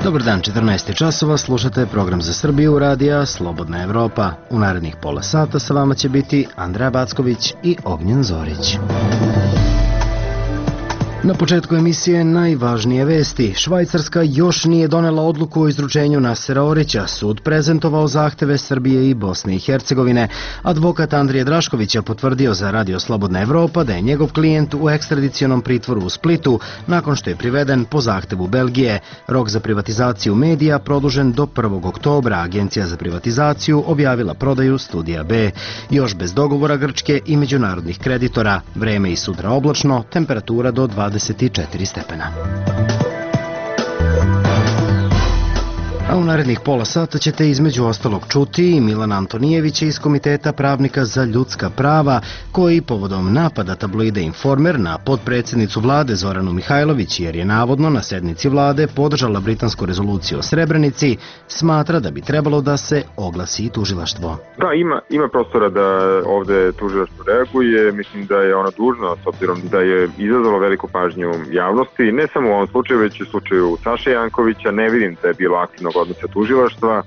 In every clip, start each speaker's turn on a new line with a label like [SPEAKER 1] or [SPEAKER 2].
[SPEAKER 1] Dobar dan, 14 časova, slušate program za Srbiju radija Slobodna Evropa. U narednih pola sata sa vama će biti Andreja Backović i Ognjen Zorić. Na početku emisije najvažnije vesti. Švajcarska još nije donela odluku o izručenju Nasera Orića. Sud prezentovao zahteve Srbije i Bosne i Hercegovine. Advokat Andrije Draškovića potvrdio za Radio Slobodna Evropa da je njegov klijent u ekstradicionom pritvoru u Splitu nakon što je priveden po zahtevu Belgije. Rok za privatizaciju medija produžen do 1. oktobra. Agencija za privatizaciju objavila prodaju Studija B. Još bez dogovora Grčke i međunarodnih kreditora. Vreme i sutra oblačno, temperatura do 24 stepena. A u narednih pola sata ćete između ostalog čuti Milana Antonijevića iz Komiteta pravnika za ljudska prava, koji povodom napada tabloida Informer na potpredsjednicu vlade Zoranu Mihajlović, jer je navodno na sednici vlade podržala britansku rezoluciju o Srebrenici, smatra da bi trebalo da se oglasi i tužilaštvo.
[SPEAKER 2] Da, ima prostora da ovde tužilaštvo reaguje. Mislim da je ono dužno, s obzirom da je izazvalo veliku pažnju javnosti, ne samo u ovom slučaju, već i u slučaju Saše Jankovića. Ne vidim da je bilo aktivnog odnosa tužilaštva.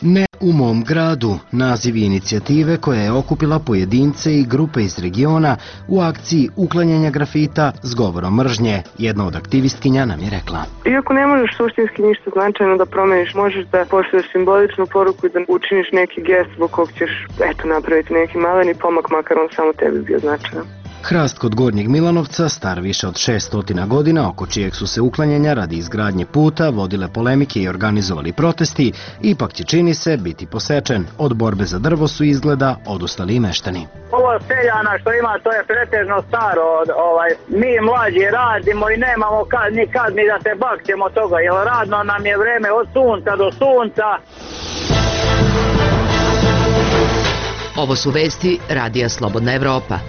[SPEAKER 1] Ne u mom gradu, naziv inicijative koja je okupila pojedince i grupe iz regiona u akciji uklanjanja grafita s govorom mržnje. Jedna od aktivistkinja nam je rekla:
[SPEAKER 3] Iako ne možeš suštinski ništa značajno da promeniš, možeš da pošalješ simboličnu poruku i da učiniš neki gest zbog kog ćeš napraviti neki maleni pomak, makar on samo tebi bio značajan.
[SPEAKER 1] Hrast kod Gornjeg Milanovca, star više od 600 godina, oko čijeg su se uklanjanja radi izgradnje puta vodile polemike i organizovali protesti, ipak će, čini se, biti posečen. Od borbe za drvo su izgleda odustali i meštani.
[SPEAKER 4] Ovo seljana što ima, to je pretežno staro. Mi mlađi radimo i nemamo nikad ni da se bakćemo toga, jer radno nam je vreme od sunca do sunca.
[SPEAKER 5] Ovo su vesti Radija Slobodna Evropa.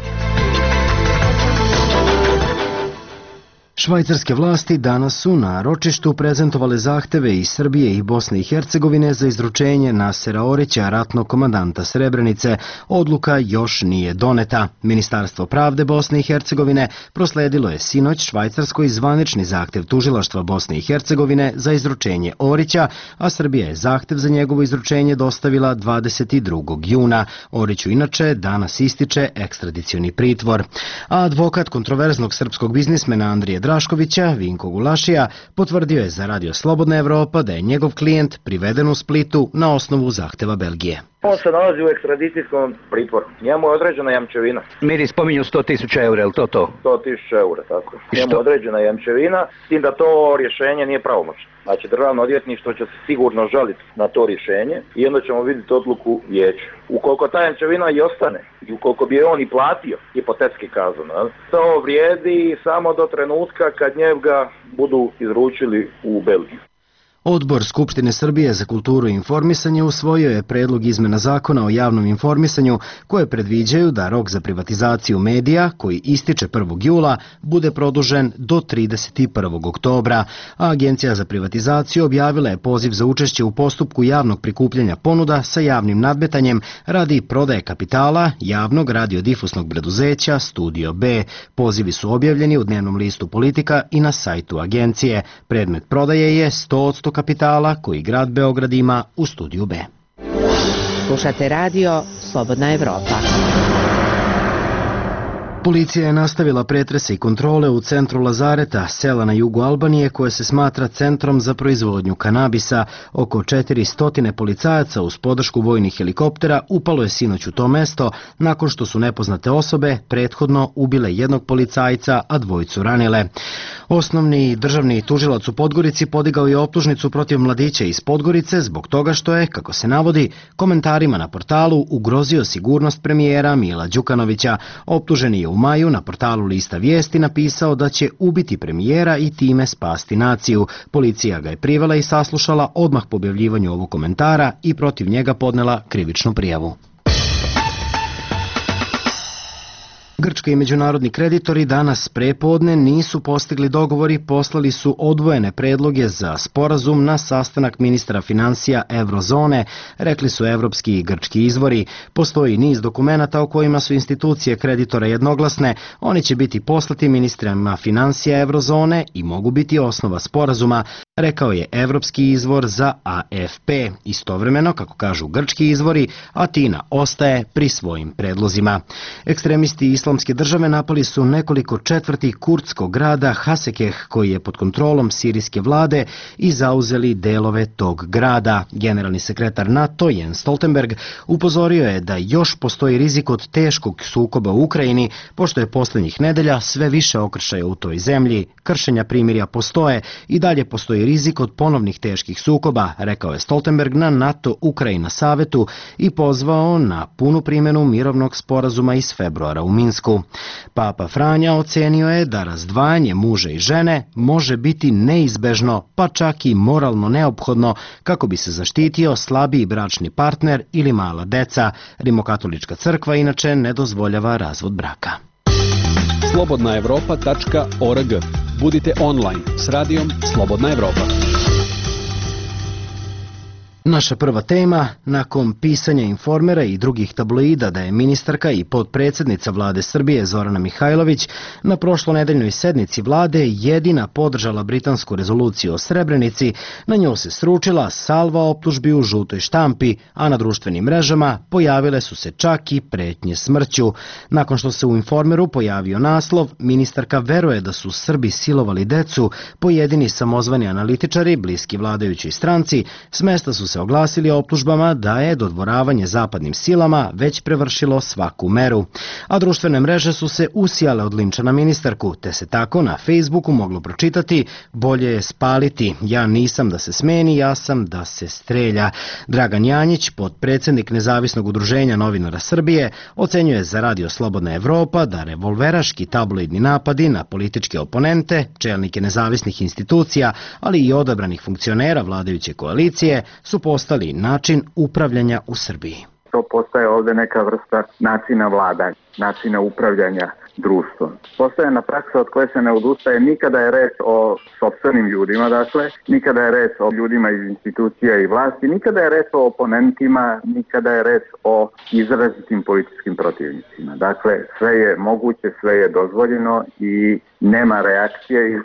[SPEAKER 1] Švajcarske vlasti danas su na ročištu prezentovale zahteve iz Srbije i Bosne i Hercegovine za izručenje Nasera Orića, ratnog komandanta Srebrenice. Odluka još nije doneta. Ministarstvo pravde Bosne i Hercegovine prosledilo je sinoć Švajcarskoj zvanični zahtev tužilaštva Bosne i Hercegovine za izručenje Orića, a Srbija je zahtev za njegovo izručenje dostavila 22. juna. Oriću inače danas ističe ekstradicioni pritvor. A advokat kontroverznog srpskog biznismena Andrije Draškovića, Vinko Gulašija, potvrdio je za Radio Slobodna Evropa da je njegov klijent priveden u Splitu na osnovu zahteva Belgije.
[SPEAKER 6] On se nalazi u ekstradicijskom pritvoru. Njemu je određena jamčevina.
[SPEAKER 7] Miri spominju 100.000 eura, je li to?
[SPEAKER 6] 100.000 eura, tako. Njemu je određena jamčevina, s tim da to rješenje nije pravomoćno. Znači, državno odvjetništvo će se sigurno žaliti na to rješenje i onda ćemo vidjeti odluku vijeća. Ukoliko ta jamčevina i ostane, i ukoliko bi je on i platio, hipotetski kazano, to vrijedi samo do trenutka kad njega budu izručili u Belgiju.
[SPEAKER 1] Odbor Skupštine Srbije za kulturu i informisanje usvojio je predlog izmena zakona o javnom informisanju koje predviđaju da rok za privatizaciju medija, koji ističe 1. jula, bude produžen do 31. oktobra, a Agencija za privatizaciju objavila je poziv za učešće u postupku javnog prikupljanja ponuda sa javnim nadmetanjem radi prodaje kapitala javnog radiodifusnog preduzeća Studio B. Pozivi su objavljeni u dnevnom listu Politika i na sajtu agencije. Predmet prodaje je 100% kapitala koji grad Beograd ima u Studiju B.
[SPEAKER 5] Slušate Radio Slobodna Evropa.
[SPEAKER 1] Policija je nastavila pretrese i kontrole u centru Lazareta, sela na jugu Albanije, koje se smatra centrom za proizvodnju kanabisa. Oko 400 policajaca uz podršku vojnih helikoptera upalo je sinoć u to mesto nakon što su nepoznate osobe prethodno ubile jednog policajca, a dvojicu ranile. Osnovni državni tužilac u Podgorici podigao je optužnicu protiv mladića iz Podgorice zbog toga što je, kako se navodi, komentarima na portalu ugrozio sigurnost premijera Mila Đukanovića. Optuženi je u maju na portalu Lista vijesti napisao da će ubiti premijera i time spasti naciju. Policija ga je privela i saslušala odmah po objavljivanju ovog komentara i protiv njega podnela krivičnu prijavu. Grčka i međunarodni kreditori danas prepodne nisu postigli dogovor i poslali su odvojene predloge za sporazum na sastanak ministra finansija Evrozone, rekli su evropski i grčki izvori. Postoji niz dokumenata o kojima su institucije kreditora jednoglasne, oni će biti poslati ministrima finansija Evrozone i mogu biti osnova sporazuma, rekao je evropski izvor za AFP. Istovremeno, kako kažu grčki izvori, Atina ostaje pri svojim predlozima. Ekstremisti Islamske države napali su nekoliko četvrti kurdskog grada Hasekeh, koji je pod kontrolom sirijske vlade, i zauzeli delove tog grada. Generalni sekretar NATO Jens Stoltenberg upozorio je da još postoji rizik od teškog sukoba u Ukrajini, pošto je poslednjih nedelja sve više okršaja u toj zemlji. Kršenja primirja postoje i dalje postoji rizik od ponovnih teških sukoba, rekao je Stoltenberg na NATO-Ukrajina savetu i pozvao na punu primjenu mirovnog sporazuma iz februara u Minsku. Papa Franja ocenio je da razdvajanje muža i žene može biti neizbežno, pa čak i moralno neophodno, kako bi se zaštitio slabiji bračni partner ili mala deca. Rimokatolička crkva inače ne dozvoljava razvod braka.
[SPEAKER 8] slobodnaevropa.org. Budite online s radijom Slobodna Evropa.
[SPEAKER 1] Naša prva tema, nakon pisanja Informera i drugih tabloida da je ministarka i potpredsjednica vlade Srbije Zorana Mihajlović na prošlonedeljnoj sednici vlade jedina podržala britansku rezoluciju o Srebrenici, na nju se sručila salva optužbi u žutoj štampi, a na društvenim mrežama pojavile su se čak i pretnje smrću. Nakon što se u Informeru pojavio naslov, ministarka veruje da su Srbi silovali decu, pojedini samozvani analitičari, bliski vladajućoj stranci, s mesta su se oglasili optužbama da je dodvoravanje zapadnim silama već prevršilo svaku meru. A društvene mreže su se usijale od linča na ministarku, te se tako na Facebooku moglo pročitati: bolje je spaliti, ja nisam da se smeni, ja sam da se strelja. Dragan Janjić, potpredsjednik Nezavisnog udruženja novinara Srbije, ocenjuje za Radio Slobodna Evropa da revolveraški tabloidni napadi na političke oponente, čelnike nezavisnih institucija, ali i odabranih funkcionera vladajuće koalicije su postali način upravljanja u Srbiji.
[SPEAKER 9] To postaje ovde neka vrsta načina vladanja, načina upravljanja društvom. Postojana praksa od koje se ne odustaje, nikada je reč o sopstvenim ljudima, dakle, nikada je reč o ljudima iz institucija i vlasti, nikada je reč o oponentima, nikada je reč o izrazitim političkim protivnicima. Dakle, sve je moguće, sve je dozvoljeno i nema reakcije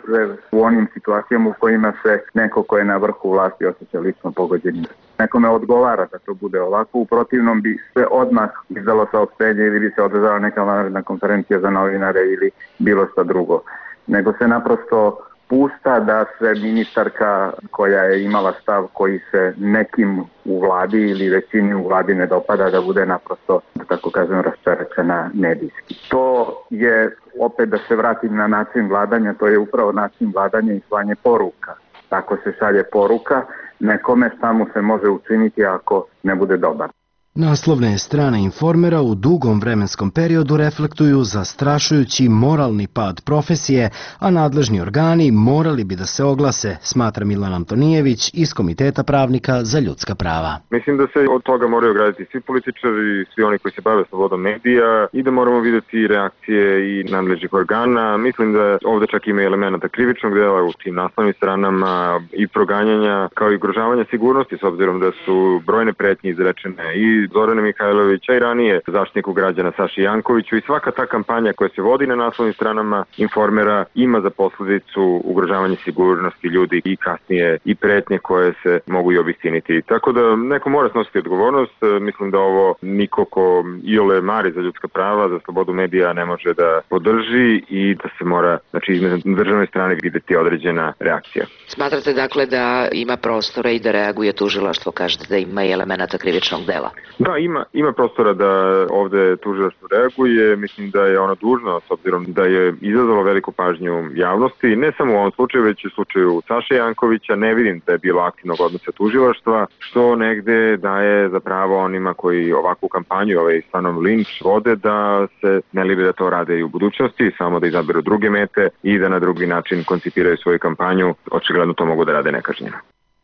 [SPEAKER 9] u onim situacijama u kojima se neko ko je na vrhu vlasti osjeća lično pogođenim. Nekome odgovara da to bude ovako, u protivnom bi se odmah izdalo saopštenje ili bi se održala neka vanredna konferencija za novinare ili bilo šta drugo. Nego se naprosto pušta da se ministarka koja je imala stav koji se nekim u vladi ili većini u vladi ne dopada, da bude naprosto, da tako kažem, raščerečena medijski. To je, opet da se vratim na način vladanja, to je upravo način vladanja i slanje poruka. Tako se šalje poruka nekome šta mu se može učiniti ako ne bude dobar.
[SPEAKER 1] Naslovne strane Informera u dugom vremenskom periodu reflektuju zastrašujući moralni pad profesije, a nadležni organi morali bi da se oglase, smatra Milan Antonijević iz Komiteta pravnika za ljudska prava.
[SPEAKER 2] Mislim da se od toga moraju ograditi svi političari, svi oni koji se bave slobodom medija i da moramo vidjeti reakcije i nadležnih organa. Mislim da ovde čak ima elementa krivičnog dela u tim naslovnim stranama i proganjanja, kao i ugrožavanja sigurnosti, s obzirom da su brojne pretnje izrečene i Zorane Mihajlovića i ranije zaštitniku građana Saši Jankoviću, i svaka ta kampanja koja se vodi na naslovnim stranama Informera ima za posledicu ugrožavanje sigurnosti ljudi i kasnije i pretnje koje se mogu i obistiniti. Tako da neko mora snositi odgovornost. Mislim da ovo niko ko iole mari za ljudska prava, za slobodu medija ne može da podrži i da se mora, znači, na državnoj strani videti određena reakcija.
[SPEAKER 5] Smatrate dakle da ima prostora i da reaguje tužilaštvo, kažete da ima i elemenata krivičnog dela?
[SPEAKER 2] Da, ima prostora da ovde tužilaštvo reaguje. Mislim da je ono dužno, s obzirom da je izazvalo veliku pažnju javnosti, ne samo u ovom slučaju, već i u slučaju Saše Jankovića. Ne vidim da je bilo aktivnog odnosa tužilaštva, što negde daje za pravo onima koji ovakvu kampanju, stvarno linč vode, da se ne libe da to rade i u budućnosti, samo da izaberu druge mete i da na drugi način koncipiraju svoju kampanju. Očigledno to mogu da rade nekažnjeno.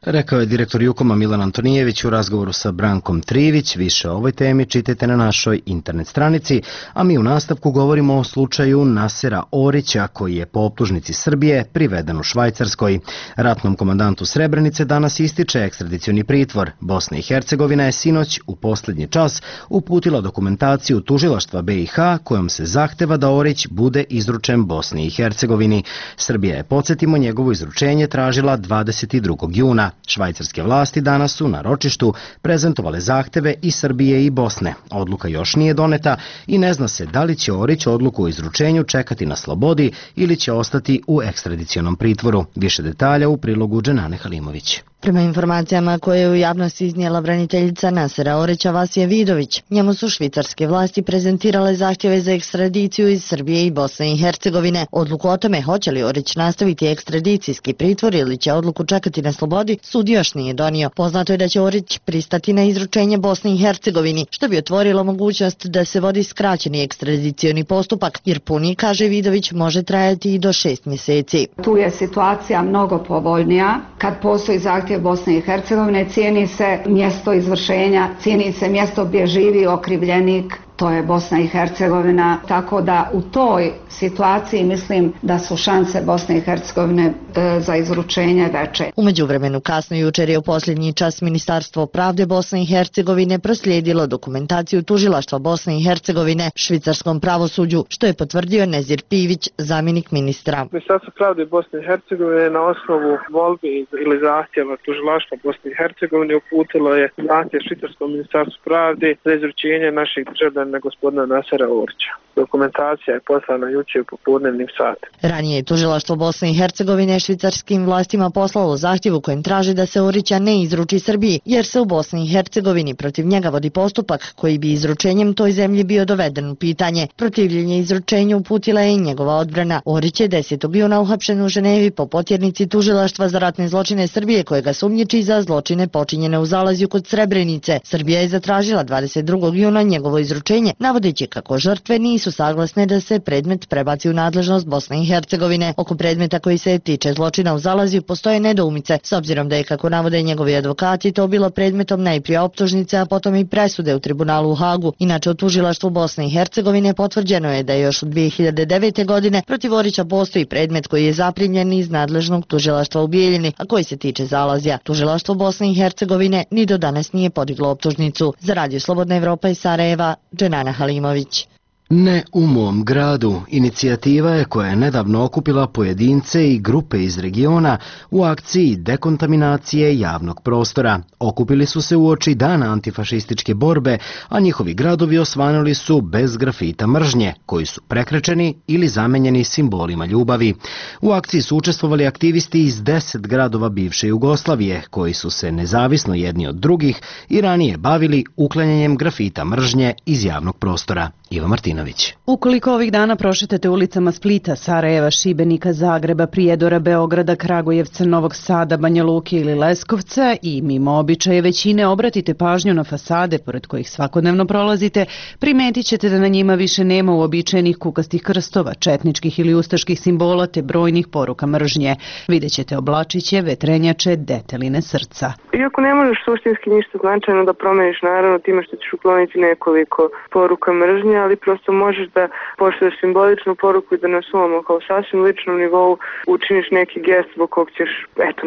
[SPEAKER 1] Rekao je direktor Jukoma Milan Antonijević u razgovoru sa Brankom Trivić. Više o ovoj temi čitajte na našoj internet stranici, a mi u nastavku govorimo o slučaju Nasera Orića, koji je po optužnici Srbije priveden u Švajcarskoj. Ratnom komandantu Srebrenice danas ističe ekstradicioni pritvor. Bosna i Hercegovina je sinoć u posljednji čas uputila dokumentaciju tužilaštva BiH kojom se zahteva da Orić bude izručen Bosni i Hercegovini. Srbija je, podsjetimo, njegovo izručenje tražila 22. juna. Švajcarske vlasti danas su na ročištu prezentovale zahteve i Srbije i Bosne. Odluka još nije doneta i ne zna se da li će Orić odluku o izručenju čekati na slobodi ili će ostati u ekstradicionom pritvoru. Više detalja u prilogu Dženane Halimović.
[SPEAKER 10] Prema informacijama koje je u javnosti iznijela braniteljica Nasera Orića Vasija Vidović, njemu su švicarske vlasti prezentirale zahtjeve za ekstradiciju iz Srbije i Bosne i Hercegovine. Odluku o tome hoće li Orić nastaviti ekstradicijski pritvor ili će odluku čekati na slobodi, sud još nije donio. Poznato je da će Orić pristati na izručenje Bosni i Hercegovini, što bi otvorilo mogućnost da se vodi skraćeni ekstradicioni postupak, jer puni, kaže Vidović, može trajati i do 6 mjeseci.
[SPEAKER 11] Tu je situacija mnogo povoljnija. Kad postoji zahtjev Bosne i Hercegovine, cijeni se mjesto izvršenja, cijeni se mjesto gdje živi okrivljenik, to je Bosna i Hercegovina, tako da u toj situaciji mislim da su šanse Bosne i Hercegovine za izručenje veće.
[SPEAKER 10] U međuvremenu kasno jučer je u posljednji čas Ministarstvo pravde Bosne i Hercegovine proslijedilo dokumentaciju tužilaštva Bosne i Hercegovine švicarskom pravosuđu, što je potvrdio Nezir Pivić, zamjenik ministra.
[SPEAKER 12] Ministarstvo pravde Bosne i Hercegovine na osnovu volbe ili zahtjeva tužilaštva Bosne i Hercegovine uputilo je zahtjev švicarskom ministarstvu pravde za izručenje naših državljana gospodina Nasera Orića. Dokumentacija je poslana jučer u popodnevnim satima.
[SPEAKER 10] Ranije je tužilaštvo Bosne i Hercegovine švicarskim vlastima poslalo zahtjev u kojem traži da se Orića ne izruči Srbiji, jer se u Bosni i Hercegovini protiv njega vodi postupak koji bi izručenjem toj zemlji bio doveden u pitanje. Protivljenje izručenju uputila je i njegova odbrana. Orić je 10. juna uhapšen u Ženevi po potjernici tužilaštva za ratne zločine Srbije, kojega sumnjiči za zločine počinjene u Zalazju kod Srebrenice. Srbija je zatražila 22. juna njegovo izručenje, navodeći kako žrtve nisu saglasne da se predmet prebaci u nadležnost Bosne i Hercegovine. Oko predmeta koji se tiče zločina u Zalazju postoje nedoumice, s obzirom da je, kako navode njegovi advokati, to bilo predmetom najprije optužnice, a potom i presude u tribunalu u Hagu. Inače, u tužilaštvu Bosne i Hercegovine potvrđeno je da još od 2009. godine protiv Orića postoji predmet koji je zaprimljen iz nadležnog tužilaštva u Bijeljini, a koji se tiče Zalazja. Tužilaštvo Bosne i Hercegovine ni do danas nije podiglo optužnicu. Za Radio Slobodna Evropa iz Sarajeva, Dženana Halimović.
[SPEAKER 1] Ne u mom gradu. Inicijativa je koja je nedavno okupila pojedince i grupe iz regiona u akciji dekontaminacije javnog prostora. Okupili su se uoči dana antifašističke borbe, a njihovi gradovi osvanuli su bez grafita mržnje, koji su prekrečeni ili zamenjeni simbolima ljubavi. U akciji su učestvovali aktivisti iz 10 gradova bivše Jugoslavije, koji su se nezavisno jedni od drugih i ranije bavili uklanjanjem grafita mržnje iz javnog prostora. Iva Martinović.
[SPEAKER 13] Ukoliko ovih dana prošetate ulicama Splita, Sarajeva, Šibenika, Zagreba, Prijedora, Beograda, Kragujevca, Novog Sada, Banja Luke ili Leskovca i mimo običaje većine obratite pažnju na fasade pored kojih svakodnevno prolazite, primetit ćete da na njima više nema uobičajenih kukastih krstova, četničkih ili ustaških simbola te brojnih poruka mržnje. Vidjet ćete oblačiće, vetrenjače, deteline srca.
[SPEAKER 3] Iako ne možeš suštinski ništa značajno da promeniš, naravno time što ćeš ukloniti nekoliko poruka mržnje, ali prosto možeš da pošalješ simboličnu poruku i da na svom kao sasvim ličnom nivou učiniš neki gest zbog kog ćeš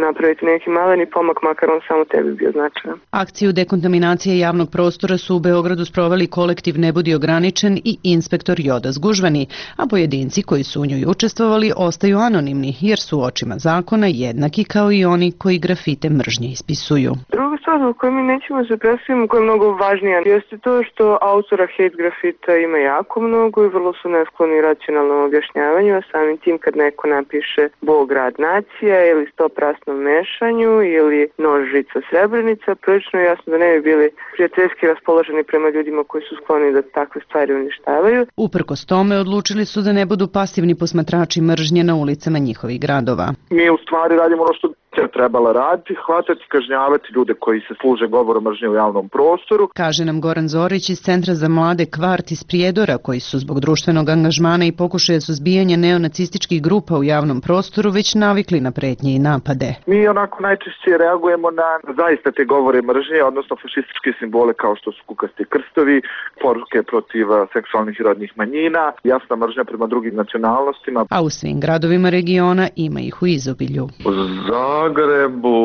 [SPEAKER 3] napraviti neki maleni pomak, makar on samo tebi bio značajan.
[SPEAKER 13] Akciju dekontaminacije javnog prostora su u Beogradu sproveli kolektiv Ne budi ograničen i inspektor Joda Zgužvani, a pojedinci koji su u njoj učestvovali ostaju anonimni jer su u očima zakona jednaki kao i oni koji grafite mržnje ispisuju.
[SPEAKER 3] Druga stvar zbog koju mi nećemo se predstaviti, koja je mnogo važnija, jeste to što autora hate grafita ima jako mnogo i vrlo su neskloni racionalnom objašnjavanju, a samim tim kad neko napiše Bog, rad, nacija ili stoprasnom mešanju ili nož, žica, Srebrenica, prilično je jasno da ne bi bili prijateljski raspoloženi prema ljudima koji su skloni da takve stvari uništavaju.
[SPEAKER 13] Uprkos tome odlučili su da ne budu pasivni posmatrači mržnje na ulicama njihovih gradova.
[SPEAKER 14] Mi u stvari radimo ono što trebala raditi, hvatati, kažnjavati ljude koji se služe govorom mržnje u javnom prostoru.
[SPEAKER 13] Kaže nam Goran Zorić iz Centra za mlade Kvart iz Prijedora, koji su zbog društvenog angažmana i pokušaja suzbijanja neonacističkih grupa u javnom prostoru već navikli na pretnje i napade.
[SPEAKER 14] Mi onako najčešće reagujemo na zaista te govore mržnje, odnosno fašističke simbole kao što su kukasti krstovi, poruke protiv seksualnih i rodnih manjina, jasna mržnja prema drugim nacionalnostima.
[SPEAKER 13] A u svim gradovima regiona ima ih u izobilju.
[SPEAKER 15] U Zagrebu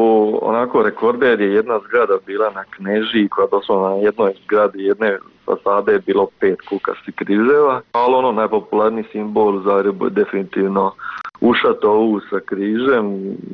[SPEAKER 15] onako rekorder je jedna zgrada bila na Knežiji koja doslovno na jednoj zgradi jedne fasade je bilo 5 kukastih križeva, ali ono najpopularniji simbol u Zagrebu je definitivno ušato U sa križem,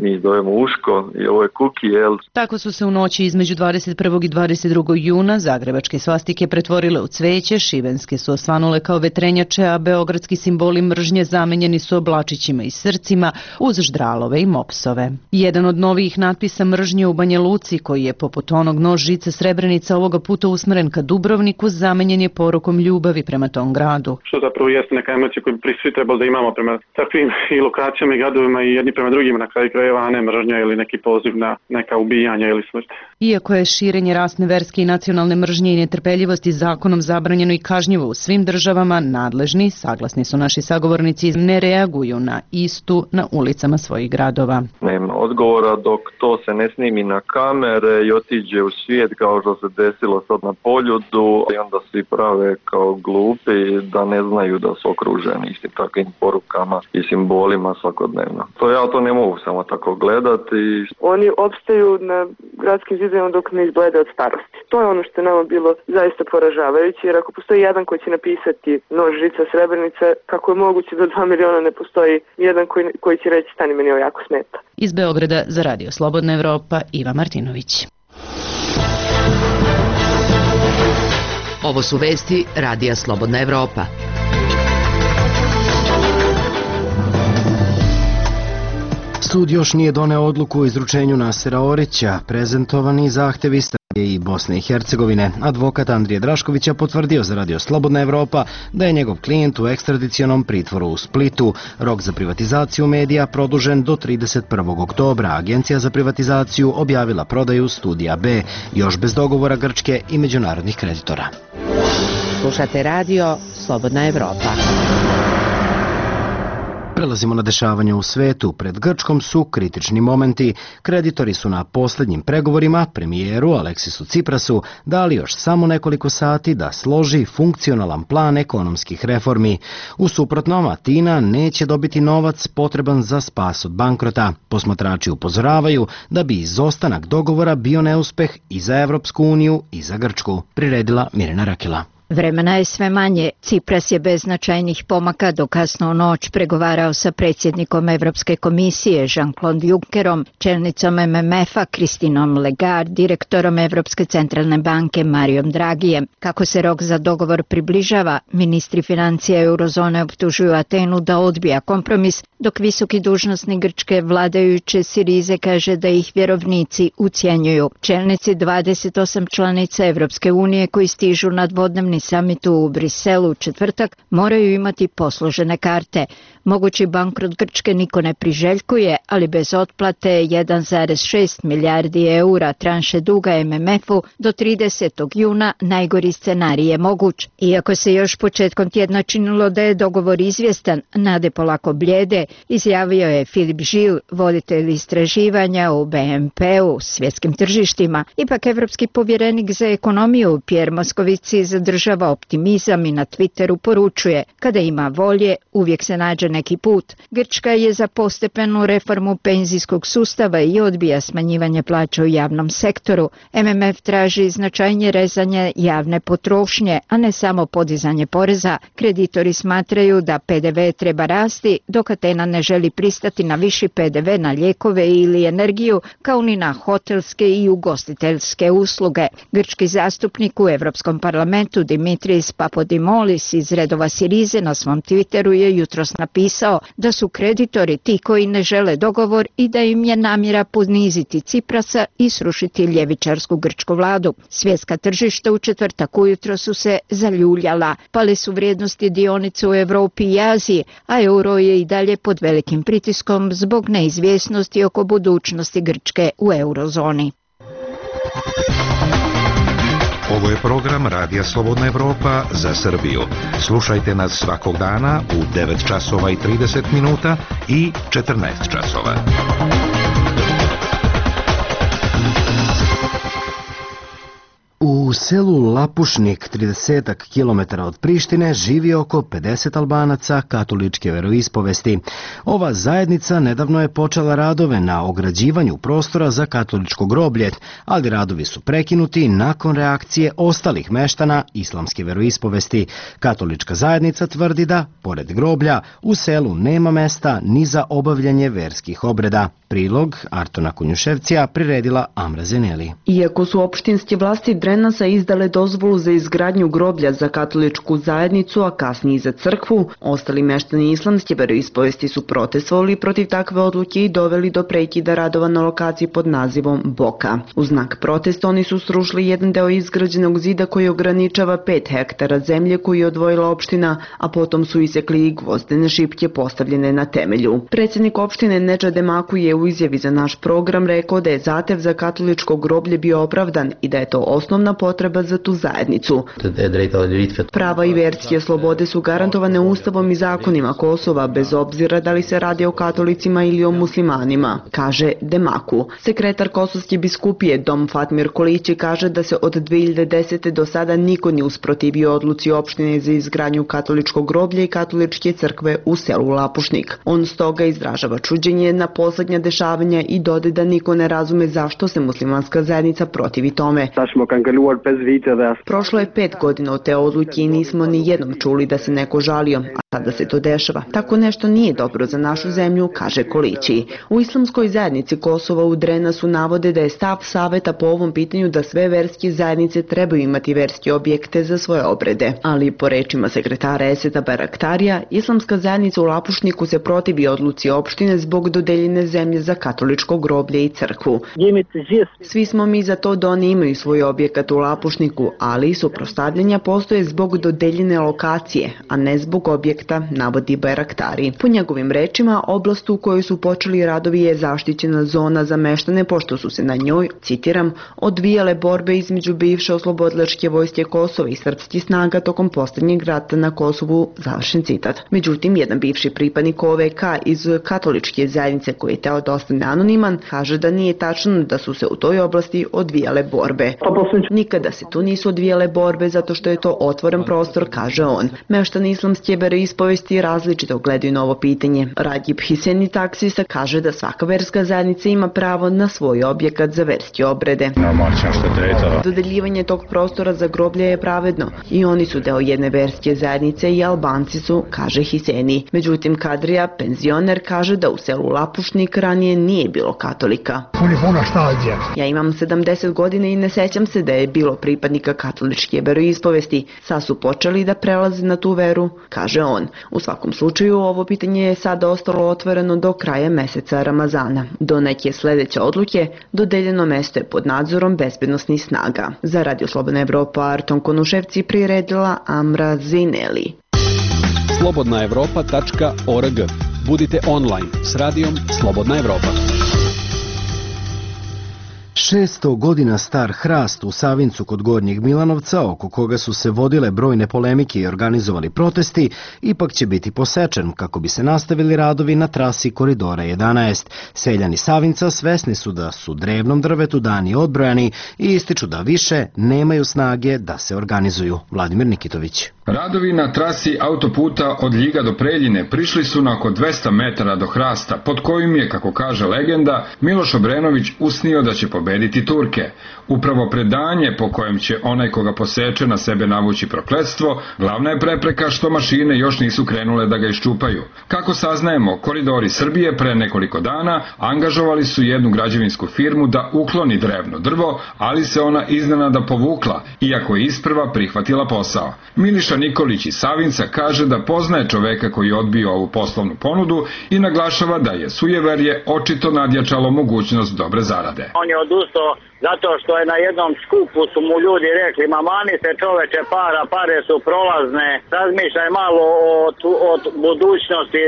[SPEAKER 15] mi zovemo uško i ovo je kuki, jel?
[SPEAKER 13] Tako su se u noći između 21. i 22. juna zagrebačke svastike pretvorile u cveće, šibenske su osvanule kao vetrenjače, a beogradski simboli mržnje zamenjeni su oblačićima i srcima uz ždralove i mopsove. Jedan od novijih natpisa mržnje u Banja Luci, koji je poput onog nož žice Srebrenica ovoga puta usmeren ka Dubrovniku, zamenjen je porukom ljubavi prema tom gradu.
[SPEAKER 16] Što zapravo jeste neka emocija koju svi trebali da imamo prema takvim i lokacijama i gradovima i jedni prema drugima na kraju krajeva, a ne mržnja ili neki poziv na neka ubijanja ili smrt.
[SPEAKER 13] Iako je širenje rasne, verske i nacionalne mržnje i netrpeljivosti zakonom zabranjeno i kažnjivo u svim državama, nadležni, saglasni su naši sagovornici, ne reaguju na istu na ulicama svojih gradova.
[SPEAKER 15] Nema odgovora dok to se ne snimi na kamere i otiđe u svijet kao što se desilo sad na Poljudu i onda svi prave kao glupi da ne znaju da su okruženi istim takvim porukama i simbolima svakodnevno. Ja to ne mogu samo tako gledati.
[SPEAKER 3] Oni opstaju na gradskim zidovima dok ne izblede od starosti. To je ono što je nama bilo zaista poražavajuće, jer ako postoji jedan koji će napisati nož žica Srebrenice, kako je moguće da 2 miliona ne postoji jedan koji će reći stani meni ovo jako smeta.
[SPEAKER 13] Iz Beograda za Radio Slobodna Evropa, Iva Martinović.
[SPEAKER 17] Ovo su vesti Radija Slobodna Evropa.
[SPEAKER 1] Sud još nije doneo odluku o izručenju Nasera Orića. Prezentovani zahtevi Srbije i Bosne i Hercegovine. Advokat Andrije Draškovića potvrdio za Radio Slobodna Evropa da je njegov klijent u ekstradicionom pritvoru u Splitu. Rok za privatizaciju medija produžen do 31. oktobra. Agencija za privatizaciju objavila prodaju Studija B, još bez dogovora Grčke i međunarodnih kreditora.
[SPEAKER 17] Slušate Radio Slobodna Evropa.
[SPEAKER 1] Prelazimo na dešavanje u svetu. Pred Grčkom su kritični momenti. Kreditori su na posljednjim pregovorima premijeru Aleksisu Ciprasu dali još samo nekoliko sati da složi funkcionalan plan ekonomskih reformi. U suprotnom, Atina neće dobiti novac potreban za spas od bankrota. Posmatrači upozoravaju da bi izostanak dogovora bio neuspeh i za Evropsku uniju i za Grčku, priredila Mirjana Rakela.
[SPEAKER 18] Vremena je sve manje. Cipras je bez značajnih pomaka do kasno u noć pregovarao sa predsjednikom Evropske komisije Jean-Claude Junckerom, čelnicom MMF-a Kristinom Lagarde, direktorom Evropske centralne banke Marijom Dragijem. Kako se rok za dogovor približava, ministri financija eurozone optužuju Atenu da odbija kompromis, dok visoki dužnosnik grčke vladajuće Sirize kaže da ih vjerovnici ucjenjuju. Čelnici 28 članica Evropske unije koji stižu na dvodnevni samitu u Briselu u četvrtak moraju imati posložene karte. Mogući bankrot Grčke niko ne priželjkuje, ali bez otplate 1,6 milijardi eura tranše duga MMF-u do 30. juna najgori scenarij je moguć. Iako se još početkom tjedna činilo da je dogovor izvjestan, nade polako bljede, izjavio je Filip Žil, voditelj istraživanja u BNP-u, svjetskim tržištima. Ipak evropski povjerenik za ekonomiju Pierre Moscovici zadržava optimizam i na Twitteru poručuje: kada ima volje, uvijek se nađe neki put. Grčka je za postepenu reformu penzijskog sustava i odbija smanjivanje plaća u javnom sektoru. MMF traži značajnije rezanje javne potrošnje, a ne samo podizanje poreza. Kreditori smatraju da PDV treba rasti, dok Atena ne želi pristati na viši PDV na lijekove ili energiju, kao ni na hotelske i ugostiteljske usluge. Grčki zastupnik u Europskom parlamentu Dimitris Papodimolis iz redova Sirize na svom Twitteru je jutros napisao da su kreditori ti koji ne žele dogovor i da im je namjera poniziti Ciprasa i srušiti ljevičarsku grčku vladu. Svjetska tržišta u četvrtak ujutro su se zaljuljala, pale su vrijednosti dionica u Evropi i Aziji, a euro je i dalje pod velikim pritiskom zbog neizvjesnosti oko budućnosti Grčke u eurozoni.
[SPEAKER 19] Ovo je program Radija Slobodna Evropa za Srbiju. Slušajte nas svakog dana u 9 časova i 30 minuta i 14 časova.
[SPEAKER 1] U selu Lapušnik, 30 km od Prištine, živi oko 50 Albanaca katoličke veroispovesti. Ova zajednica nedavno je počela radove na ograđivanju prostora za katoličko groblje, ali radovi su prekinuti nakon reakcije ostalih meštana islamske veroispovesti. Katolička zajednica tvrdi da, pored groblja, u selu nema mesta ni za obavljanje verskih obreda. Prilog Artona Kunjuševcija priredila Amra Zeneli.
[SPEAKER 20] Iako su opštinske vlasti Drenasa izdale dozvolu za izgradnju groblja za katoličku zajednicu, a kasnije i za crkvu, ostali meštani islamske veroispovesti su protestovali protiv takve odluke i doveli do prekida radova na lokaciji pod nazivom Boka. U znak protesta oni su srušili jedan deo izgrađenog zida koji ograničava 5 hektara zemlje koju je odvojila opština, a potom su isekli i gvozdene šipke postavljene na temelju. Predsjednik opštine Nedža Demaku je u izjavi za naš program rekao da je zahtev za katoličko groblje bio opravdan i da je to osnovna potreba za tu zajednicu. Prava i verske slobode su garantovane ustavom i zakonima Kosova, bez obzira da li se radi o katolicima ili o muslimanima, kaže Demaku. Sekretar Kosovske biskupije Dom Fatmir Kolići kaže da se od 2010. do sada niko nije usprotivio odluci opštine za izgradnju katoličkog groblja i katoličke crkve u selu Lapušnik. On stoga izražava čuđenje na poslednja dešavanja i dode da niko ne razume zašto se muslimanska zajednica protivi tome. Prošlo je 5 godina od te odluke i nismo ni jednom čuli da se neko žalio, a sada se to dešava. Tako nešto nije dobro za našu zemlju, kaže Kolići. U islamskoj zajednici Kosova u Drenasu navode da je stav saveta po ovom pitanju da sve verske zajednice trebaju imati verske objekte za svoje obrede. Ali po rečima sekretara Eseta Baraktarija, islamska zajednica u Lapušniku se protivi odluci opštine zbog dodeljene zemlje za katoličko groblje i crkvu. Svi smo mi za to da oni imaju svoj objekat u Lapušniku, ali suprotstavljanja postoje zbog dodeljene lokacije, a ne zbog objekta, navodi Bajraktari. Po njegovim rečima, oblast u kojoj su počeli radovi je zaštićena zona za meštane, pošto su se na njoj, citiram, odvijale borbe između bivše oslobodilačke vojske Kosova i srpskih snaga tokom posljednjeg rata na Kosovu, završen citat. Međutim, jedan bivši pripadnik OVK iz katoličke zajednice koji je teo da ostane anoniman, kaže da nije tačno da su se u toj oblasti odvijale borbe. Nikada se tu nisu odvijale borbe zato što je to otvoren prostor, kaže on. Meštani islamske veroispovesti različito gledaju na ovo pitanje. Radjib Hiseni, taksista, kaže da svaka verska zajednica ima pravo na svoj objekat za verske obrede. Dodeljivanje tog prostora za groblje je pravedno i oni su deo jedne verske zajednice i Albanci su, kaže Hiseni. Međutim, Kadrija, penzioner, kaže da u selu Lapušnik ranije nije bilo katolika. Ja imam 70 godina i ne sećam se da je bilo pripadnika katoličke veroispovesti. Sad su počeli da prelaze na tu veru, kaže on. U svakom slučaju, ovo pitanje je sada ostalo otvoreno do kraja meseca Ramazana. Do neke sledeće odluke dodeljeno mesto je pod nadzorom bezbednosnih snaga. Za Radio Slobodna Evropa, Arton Konuševci priredila Amra Zineli.
[SPEAKER 8] slobodnaevropa.org. Budite online s radijom Slobodna Evropa.
[SPEAKER 1] 600 godina star hrast u Savincu kod Gornjeg Milanovca, oko koga su se vodile brojne polemike i organizovali protesti, ipak će biti posečen kako bi se nastavili radovi na trasi Koridora 11. Seljani Savinca svesni su da su drevnom drvetu dani odbrojani i ističu da više nemaju snage da se organizuju. Vladimir Nikitović.
[SPEAKER 21] Radovi na trasi autoputa od Ljiga do Preljine prišli su na oko 200 metara do hrasta, pod kojim je, kako kaže legenda, Miloš Obrenović usnio da će pobediti Turke. Upravo predanje po kojem će onaj koga poseče na sebe navući prokletstvo, glavna je prepreka što mašine još nisu krenule da ga iščupaju. Kako saznajemo, Koridori Srbije pre nekoliko dana angažovali su jednu građevinsku firmu da ukloni drevno drvo, ali se ona iznenada povukla, iako je isprva prihvatila posao. Miliša Nikolić iz Savinca kaže da poznaje čoveka koji je odbio ovu poslovnu ponudu i naglašava da je sujeverje očito nadjačalo mogućnost dobre zarade.
[SPEAKER 4] On je odustao zato što je na jednom skupu su mu ljudi rekli: ma mani se čoveče para, pare su prolazne, razmišljaj malo o budućnosti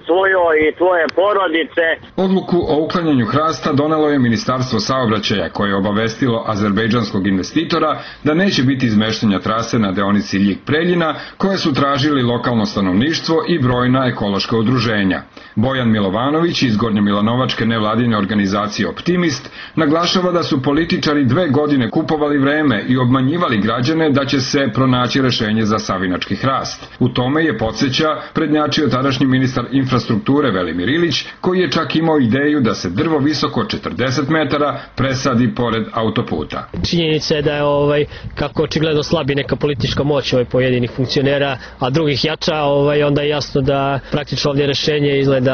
[SPEAKER 4] tvojoj i tvoje porodice.
[SPEAKER 21] Odluku o uklanjanju hrasta donelo je Ministarstvo saobraćaja, koje je obavestilo azerbejdžanskog investitora da neće biti izmeštanja trase na deonici Ljig-Preljina, koje su tražili lokalno stanovništvo i brojna ekološka udruženja. Bojan Milovanović iz Gornjomilanovačke nevladine organizacije Optimist naglašava da su političari 2 godine kupovali vreme i obmanjivali građane da će se pronaći rešenje za savinački hrast. U tome je, podsjeća, prednjačio tadašnji ministar infrastrukture Velimir Ilić, koji je čak imao ideju da se drvo visoko 40 metara presadi pored autoputa.
[SPEAKER 22] Činjenica je da je kako očigledno slabi neka politička moć pojedinih funkcionera, a drugih jača, onda je jasno da praktično ovdje rešenje izgleda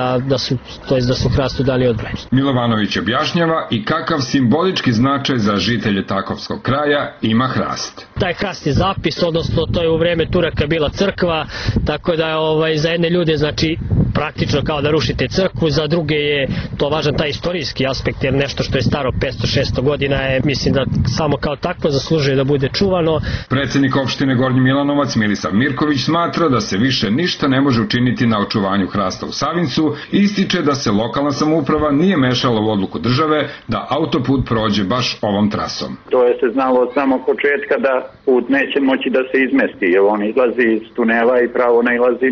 [SPEAKER 22] da su hrastu dali odbranu.
[SPEAKER 21] Milovanović objašnjava i kakav simbolički značaj za žitelje Takovskog kraja ima hrast.
[SPEAKER 22] Taj hrast je zapis, odnosno to je u vreme Turaka bila crkva, tako da je za jedne ljude znači praktično kao da rušite crkvu, za druge je to važan taj istorijski aspekt, jer nešto što je staro 500-600 godina je, mislim da samo kao takvo zaslužuje da bude čuvano.
[SPEAKER 21] Predsednik opštine Gornji Milanovac Milisav Mirković smatra da se više ništa ne može učiniti na očuvanju hrasta u Savincu i ističe da se lokalna samouprava nije mešala u odluku države da autoput prođe baš ovom trasom.
[SPEAKER 4] To je se znalo od samog početka da put neće moći da se izmesti, jer on izlazi iz tunela i pravo nailazi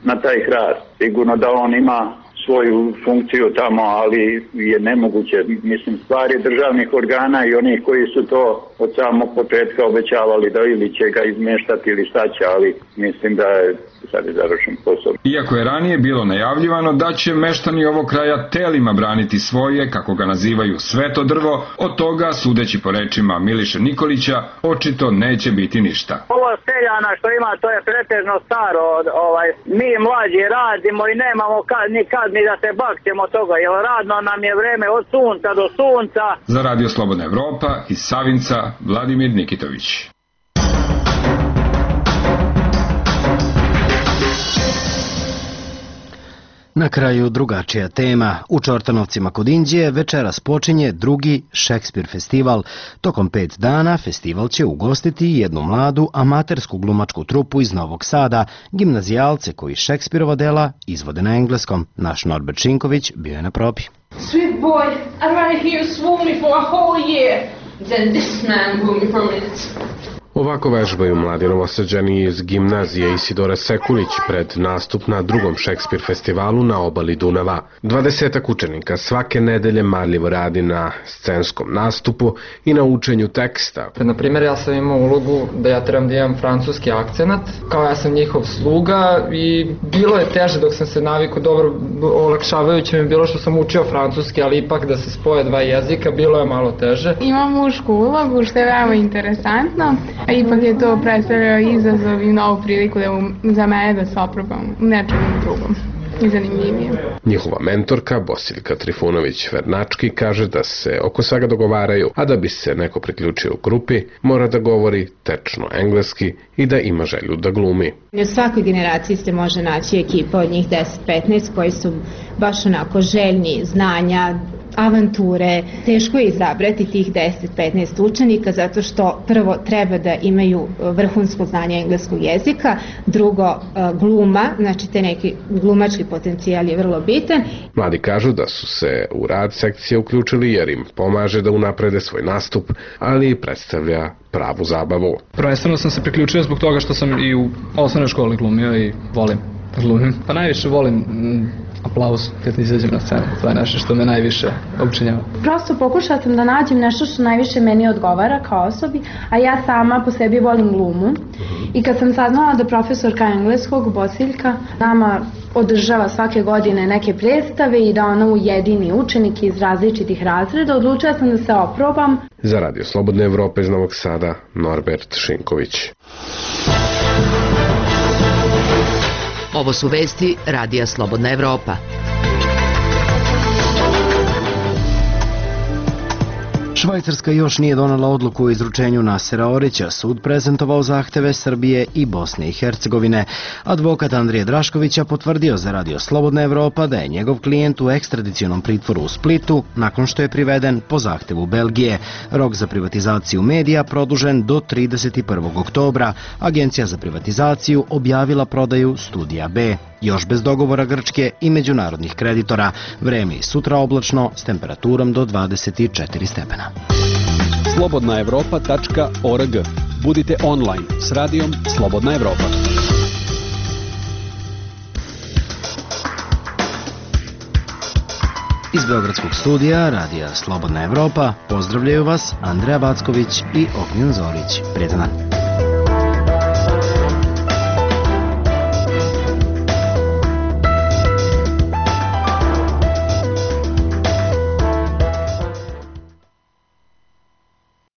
[SPEAKER 4] na taj hrast. Sigurno da on ima svoju funkciju tamo, ali je nemoguće. Mislim, stvari državnih organa i onih koji su to od samog početka obećavali da ili će ga izmeštati ili šta će, ali mislim da je sad je završen posao.
[SPEAKER 21] Iako je ranije bilo najavljivano da će meštani ovog kraja telima braniti svoje, kako ga nazivaju, sveto drvo, od toga, sudeći po rečima Miliše Nikolića, očito neće biti ništa.
[SPEAKER 4] Ovo seljana što ima, to je pretežno staro. Mi mlađi radimo i nemamo nikad ni da se bakćemo toga, jer radno nam je vreme od sunca do sunca.
[SPEAKER 21] Za Radio Slobodna Evropa iz Savinca, Vladimir Nikitović.
[SPEAKER 1] Na kraju drugačija tema. U Čortanovcima kod Inđije večeras počinje drugi Šekspir festival. Tokom 5 dana festival će ugostiti jednu mladu amatersku glumačku trupu iz Novog Sada, gimnazijalce koji Šekspirova dela izvode na engleskom. Naš Norbert Šinković bio je na probi.
[SPEAKER 23] Sweet boy, I'd rather hear you swoon me for a whole year than this man woo me for minutes.
[SPEAKER 24] Ovako vežbaju mladi Novosađani iz gimnazije Isidora Sekulić pred nastup na drugom Šekspir festivalu na obali Dunava. 20 učenika svake nedelje marljivo radi na scenskom nastupu i na učenju teksta.
[SPEAKER 25] Na primjer, ja sam imao ulogu da ja trebam da imam francuski akcenat, kao ja sam njihov sluga i bilo je teže dok sam se navikao, dobro, olakšavajuće mi je bilo što sam učio francuski, ali ipak da se spoje 2 jezika bilo je malo teže.
[SPEAKER 26] Imam mušku ulogu što je veoma interesantno. A ipak je to predstavljao izazov i novu priliku za mene da se oprobam u nečem drugom i zanimljivije.
[SPEAKER 24] Njihova mentorka Bosiljka Trifunović-Vernački kaže da se oko svega dogovaraju, a da bi se neko priključio u grupi mora da govori tečno engleski i da ima želju da glumi.
[SPEAKER 27] U svakoj generaciji se može naći ekipa od njih 10-15 koji su baš onako željni znanja, avanture. Teško je izabrati tih 10-15 učenika zato što prvo treba da imaju vrhunsko znanje engleskog jezika, drugo gluma, znači te neki glumački potencijal je vrlo bitan.
[SPEAKER 24] Mladi kažu da su se u rad sekcije uključili jer im pomaže da unaprede svoj nastup, ali i predstavlja pravu zabavu.
[SPEAKER 28] Prvenstveno sam se priključio zbog toga što sam i u osnovnoj školi glumio i volim da glumim. Pa najviše volim aplauz kad izađem na scenu. To je nešto što me najviše opčinjava.
[SPEAKER 26] Prosto pokušala sam da nađem nešto što najviše meni odgovara kao osobi, a ja sama po sebi volim glumu. I kad sam saznala da profesorka engleskog, Bosiljka, nama održava svake godine neke predstave i da ona ujedini učenike iz različitih razreda, odlučila sam da se oprobam.
[SPEAKER 24] Za Radio Slobodne Evrope iz Novog Sada, Norbert Šinković.
[SPEAKER 17] Ovo su vesti Radija Slobodna Evropa.
[SPEAKER 1] Švajcarska još nije donela odluku o izručenju Nasera Orića. Sud prezentovao zahteve Srbije i Bosne i Hercegovine. Advokat Andrije Draškovića potvrdio za Radio Slobodna Evropa da je njegov klijent u ekstradicionom pritvoru u Splitu nakon što je priveden po zahtevu Belgije. Rok za privatizaciju medija produžen do 31. oktobra. Agencija za privatizaciju objavila prodaju Studija B. Još bez dogovora Grčke i međunarodnih kreditora. Vreme i sutra oblačno s temperaturom do 24 stepena.
[SPEAKER 8] slobodnaevropa.org. Budite online s radijom Slobodna Evropa.
[SPEAKER 1] Iz Beogradskog studija Radija Slobodna Evropa pozdravljaju vas Andreja Backović i Ognjen Zorić. Prijetan dan.